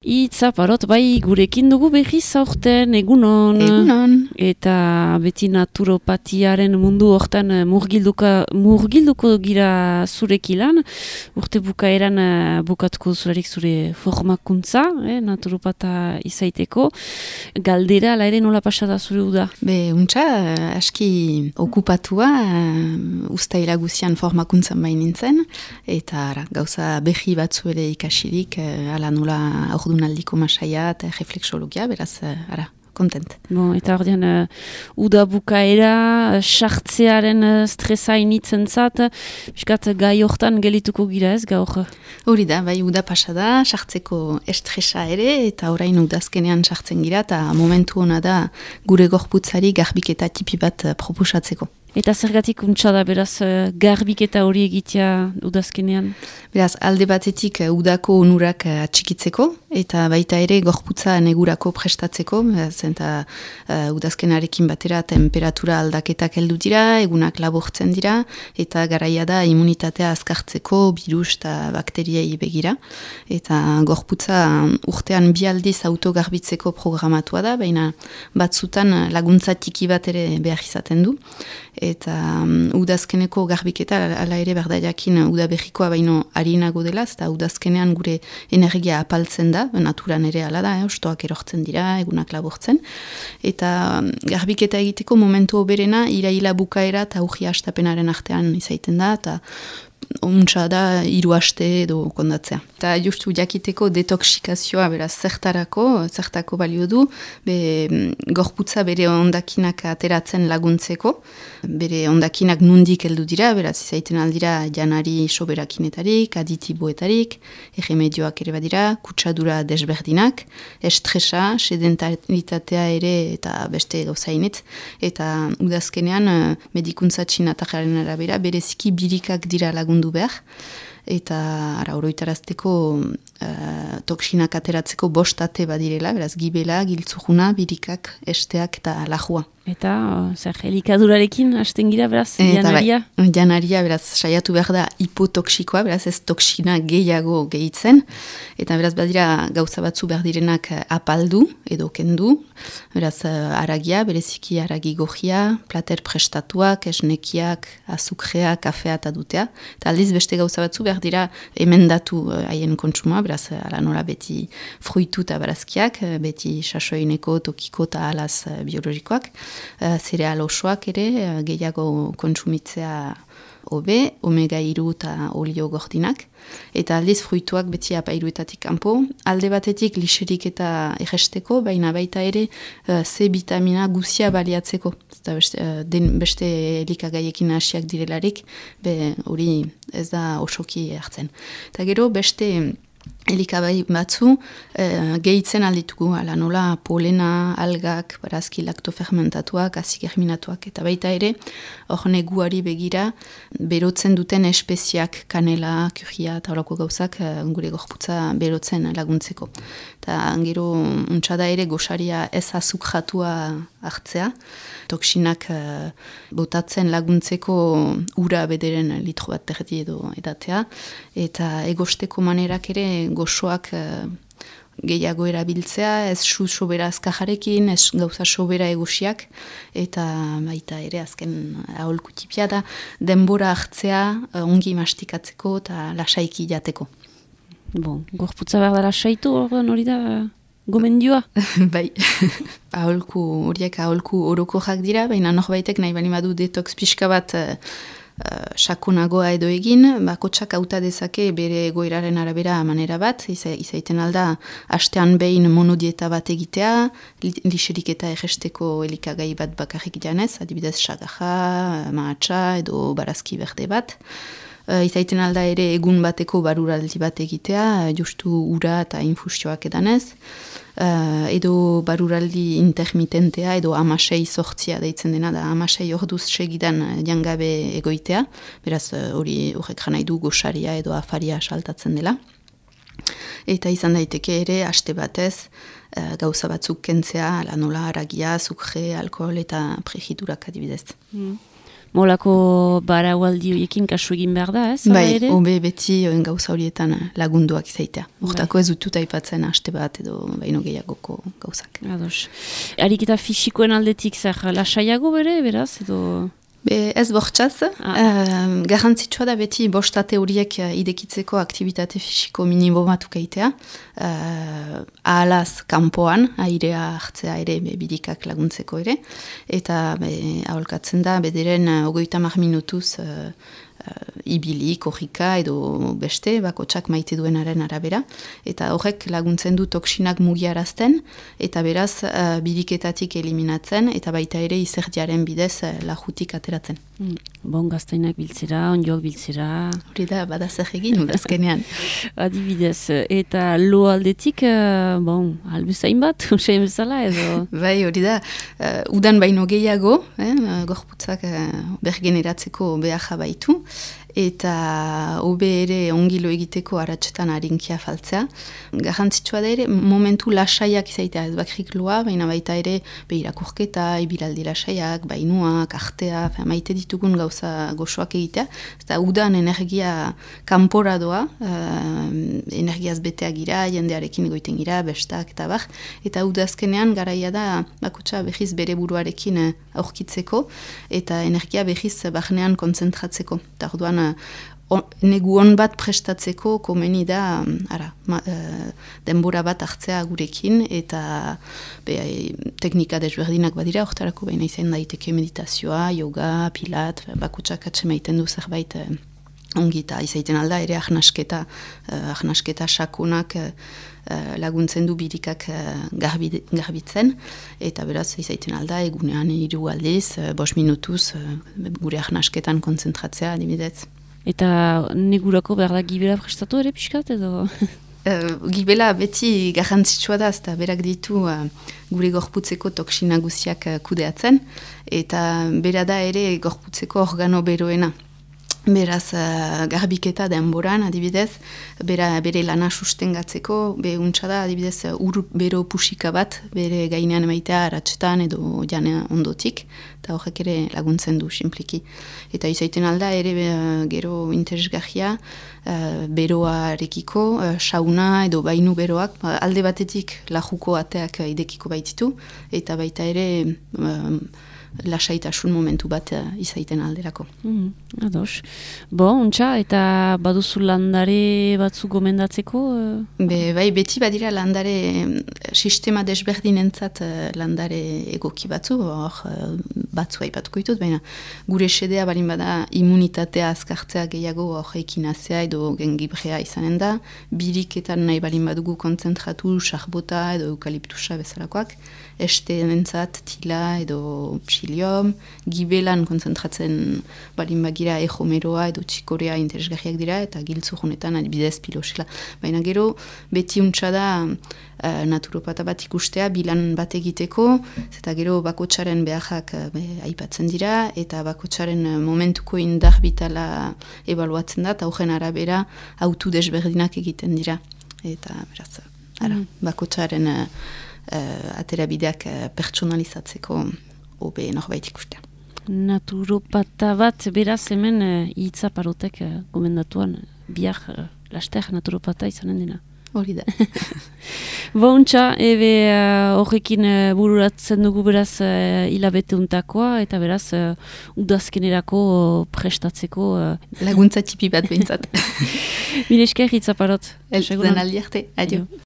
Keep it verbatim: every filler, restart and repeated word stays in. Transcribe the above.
Itza parot, bai, gurekin dugu behiz aurten, egunon. Egunon. Eta beti naturopatiaren mundu hortan murgilduka, murgilduko gira zurekilan. Urte bukaeran bukatuko zurarik zure formakuntza, eh, naturopata izaiteko. Galdera, ala ere nola pasada zure uda? Be, untxa, aski okupatua, uh, ustaila guzian formakuntzan bain nintzen. Eta ara, gauza behi batzu ere ikasirik, uh, ala nola ordunaldiko masaia eta refleksologia, beraz, uh, ara, kontent. Bon, eta ordean, uh, uda bukaera, sartzearen uh, stresa initzen zat, piskat gai hortan gelituko gira ez, gaur? Hori da, bai, uda pasada, sartzeko estresa ere, eta orain udazkenean sartzen gira, eta momentu hona da gure gorputzari garbiketa tipi bat uh, proposatzeko. Eta zergatik untsa da, beraz, uh, garbiketa hori egitea udazkenean? Beraz, alde batetik uh, udako onurak uh, atxikitzeko, eta baita ere gorputza negurako prestatzeko, eta uh, udazkenarekin batera temperatura aldaketak heldu dira, egunak labortzen dira, eta garaia da immunitatea azkartzeko, virus eta bakteriei begira. Eta gorputza urtean bi aldiz autogarbitzeko programatua da, baina batzutan laguntza tiki bat ere behar izaten du. Eta um, udazkeneko garbiketa ala ere berdaiakin udabehikoa baino harinago dela, eta udazkenean gure energia apaltzen da, naturan ere ala da, eh, ostoak erortzen dira, egunak labortzen. Eta um, garbiketa egiteko momentu oberena iraila bukaera eta urri hastapenaren artean izaiten da, eta untsa da hiru aste edo kondatzea. Eta justu jakiteko detoxikazioa, beraz, zertarako, zertako balio du, be, gorputza bere ondakinak ateratzen laguntzeko, bere ondakinak nundik heldu dira, beraz, izaiten aldira janari soberakinetarik, aditiboetarik, erremedioak ere badira, kutsadura desberdinak, estresa, sedentaritatea ere eta beste gauzainetz, eta udazkenean medikuntza txinatajaren arabera, bereziki birikak dira lagundu behar, eta ara oroitarazteko uh, toksinak ateratzeko bostate badirela, beraz gibela, giltzujuna, birikak, esteak eta lajua. Eta, uh, zer, elikadurarekin hasten gira, beraz, janaria? Bai, janaria, beraz, saiatu behar da hipotoksikoa, beraz, ez toksina gehiago gehitzen, eta beraz, badira gauza batzu behar direnak apaldu, edo kendu, beraz, aragia, bereziki aragi gojia, plater prestatuak, esnekiak, azukrea, kafea eta dutea, eta aldiz beste gauza batzu behar dira emendatu haien uh, kontsuma, beraz, ala nola beti fruitu eta barazkiak, beti sasoineko, tokiko eta alaz uh, biologikoak, Uh, zereal osoak ere, uh, gehiago kontsumitzea hobe, omega hiru eta olio gordinak, eta aldiz fruituak beti apairuetatik kanpo, alde batetik liserik eta erresteko, baina baita ere uh, C vitamina guzia baliatzeko, eta beste, uh, den, beste elikagaiekin hasiak direlarik, be hori ez da osoki hartzen. Eta gero beste elikabai batzu eh, gehitzen alditugu, ala nola polena, algak, barazki laktofermentatuak, azigerminatuak, eta baita ere, hor neguari begira, berotzen duten espeziak, kanela, kurria, eta horako gauzak eh, gure gorputza berotzen laguntzeko. Eta gero, untxada ere, gosaria ez azukratua hartzea, toksinak uh, botatzen laguntzeko ura bederen litro bat terdi edo edatea, eta egosteko manerak ere goxoak uh, gehiago erabiltzea, ez su sobera azkajarekin, ez gauza sobera egosiak, eta baita ere azken aholku tipia da, denbora hartzea uh, ongi mastikatzeko eta lasaiki jateko. Bon, gorputza behar da lasaitu hori da gomendioa? Bai, aholku, horiek aholku orokorrak dira, baina norbaitek nahi bali badu detox pixka bat uh, sakonagoa edo egin, bakotsak hauta dezake bere egoeraren arabera manera bat, iza, izaiten alda astean behin monodieta bat egitea, li, liserik eta erresteko elikagai bat bakarrik janez, adibidez sagaja, mahatsa edo barazki berde bat. Uh, izaiten alda ere egun bateko baruraldi bat egitea, justu ura eta infusioak edanez, uh, edo baruraldi intermitentea, edo amasei sortzia deitzen dena, da amasei orduz segidan jangabe egoitea, beraz hori uh, horrek janai du gosaria edo afaria saltatzen dela. Eta izan daiteke ere, aste batez, uh, gauza batzuk kentzea, ala nola, aragia, azukre, alkohol eta prejiturak adibidez. Mm. Molako baraualdi horiekin kasu egin behar da, ez? Bai, hobe beti gauza horietan lagunduak izaitea. Hortako ez dutut aipatzen haste bat edo baino gehiagoko gauzak. Ados. Ariketa fisikoen aldetik zer lasaiago bere, beraz, edo... Be, ez bortxaz, ah. uh, garrantzitsua da beti bostate horiek idekitzeko aktivitate fisiko minimumatuka itea. Uh, ahalaz kanpoan, airea hartzea ere, be, bidikak laguntzeko ere. Eta be, aholkatzen da, bederen uh, ogoita mar minutuz uh, uh, ibili, korrika edo beste, bakotsak maite duenaren arabera. Eta horrek laguntzen du toksinak mugiarazten, eta beraz uh, bidiketatik eliminatzen, eta baita ere izerdiaren bidez uh, lajutik ateratzen. Mm. Bon gaztainak biltzera, onjoak biltzera. Hori da, bada zer egin, udazkenean. Adibidez, eta lo aldetik, uh, bon, albezain bat, usain bezala edo? Bai, hori da, uh, udan baino gehiago, eh, gorputzak uh, bergeneratzeko beharra baitu, eta hobe ere ongilo egiteko aratsetan harinkia faltzea. Garrantzitsua da ere, momentu lasaiak izaitea, ez bakrik loa, baina baita ere behirakurketa, ibilaldi lasaiak, bainuak, artea, maite ditugun gauza goxoak egitea. Eta udan energia kanpora doa, uh, energiaz beteak gira, jendearekin egoiten gira, bestak eta bar. Eta udazkenean garaia da, bakotxa behiz bere buruarekin aurkitzeko, eta energia behiz barnean kontzentratzeko. Eta orduan, On, negu on bat prestatzeko komeni da ara, ma, e, denbora bat hartzea gurekin eta be, teknika desberdinak badira, hortarako baina izan daiteke meditazioa, yoga, pilat, bakutsak atsemaiten du zerbait e, ongi eta izaiten alda ere ahnasketa, e, ahnasketa sakonak e, laguntzen du birikak e, garbi, garbitzen eta beraz izaiten alda egunean hiru aldiz, e, bost minutuz e, gure ahnasketan kontzentratzea adibidez. Eta negurako behar da gibela prestatu ere pixkat edo? Uh, gibela beti garrantzitsua da, eta berak ditu uh, gure gorputzeko toksina guziak uh, kudeatzen, eta bera da ere gorputzeko organo beroena. Beraz, uh, garbiketa denboran, adibidez, bera, bere lana sustengatzeko, be untsa da, adibidez, ur bero pusika bat, bere gainean emaitea aratsetan edo jane ondotik, eta horrek ere laguntzen du, simpliki. Eta izaiten alda, ere uh, gero interesgarria, uh, beroarekiko, uh, sauna edo bainu beroak, uh, alde batetik lajuko ateak uh, idekiko baititu, eta baita ere... Uh, lasaitasun momentu bat uh, izaiten alderako. Mm, ados. Bo, untxa, eta baduzu landare batzu gomendatzeko? Uh... Be, bai, beti badira landare sistema desberdinentzat uh, landare egoki batzu, hor uh, batzu aipatuko ditut, baina gure sedea balin bada immunitatea azkartzea gehiago hor ekinazea edo gengibrea izanen da, biriketan nahi balin badugu kontzentratu, sarbota edo eukaliptusa bezalakoak, este nentzat tila edo psilium, gibelan kontzentratzen balin bagira ejomeroa edo txikorea interesgarriak dira eta giltzu honetan adibidez pilosela. Baina gero beti untsa da uh, naturopata bat ikustea bilan bat egiteko, eta gero bakotsaren beharrak uh, aipatzen dira eta bakotsaren uh, momentuko indar bitala ebaluatzen da eta horren arabera autu desberdinak egiten dira. Eta beraz, ara, mm. bakotsaren uh, Uh, aterabideak uh, pertsonalizatzeko hobe norbait ikustea. Naturopata bat, beraz hemen uh, hitzaparotek uh, gomendatuan bihar uh, laster naturopata izanen dena. Hori da. Bontxa, ebe horrekin uh, uh, bururatzen dugu beraz uh, hilabete untakoa, eta beraz uh, udazkenerako uh, prestatzeko... Uh, laguntza tipi bat behintzat. Mil esker hitzaparot. El, den aldi arte, adio.